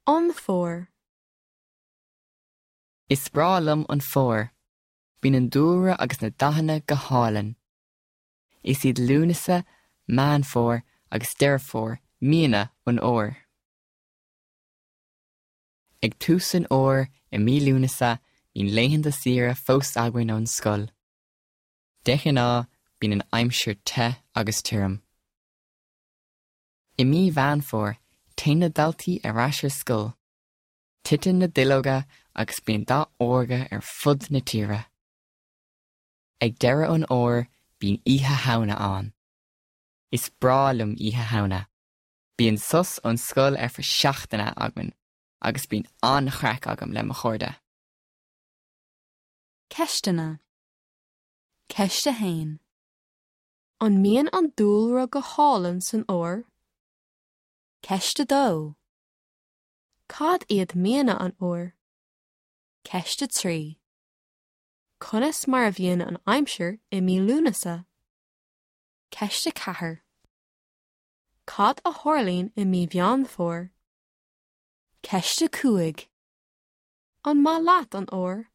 An Fómhar. Is breá liom an fómhar. Bíonn an dúlra agus na dathanna go hálainn. Is iad Lúnasa, Meán Fómhair agus Deireadh Fómhair míonna an fhómhair. Ag tús an fhómhair i mí Lúnasa bíonn laethanta saoire fós againn ón scoil. De ghnáth bíonn an aimsir te agus tirim. I mí Mheán Fómhair téann na daltaí ar ais ar scoil. Titeann na duilleoga agus bíonn dath órga ar fud na tíre. Ag deireadh an fhómhair bíonn Oíche Shamhna ann. Is breá liom Oíche Shamhna. Bíonn sos ón scoil ar feadh seachtaine againn agus bíonn an-chraic agam le mo chairde. Ceisteanna. Ceist 1. An mbíonn an dúlra go hálainn san fhómhar? Ceist 2. Cad iad míonna an fhómhair? Ceist 3. Conas mar a bhíonn an aimsir i mí Lúnasa? Ceist 4. Cad a tharlaíonn i mí Mheán Fómhair? Ceist 5. An maith leat an fhómhar?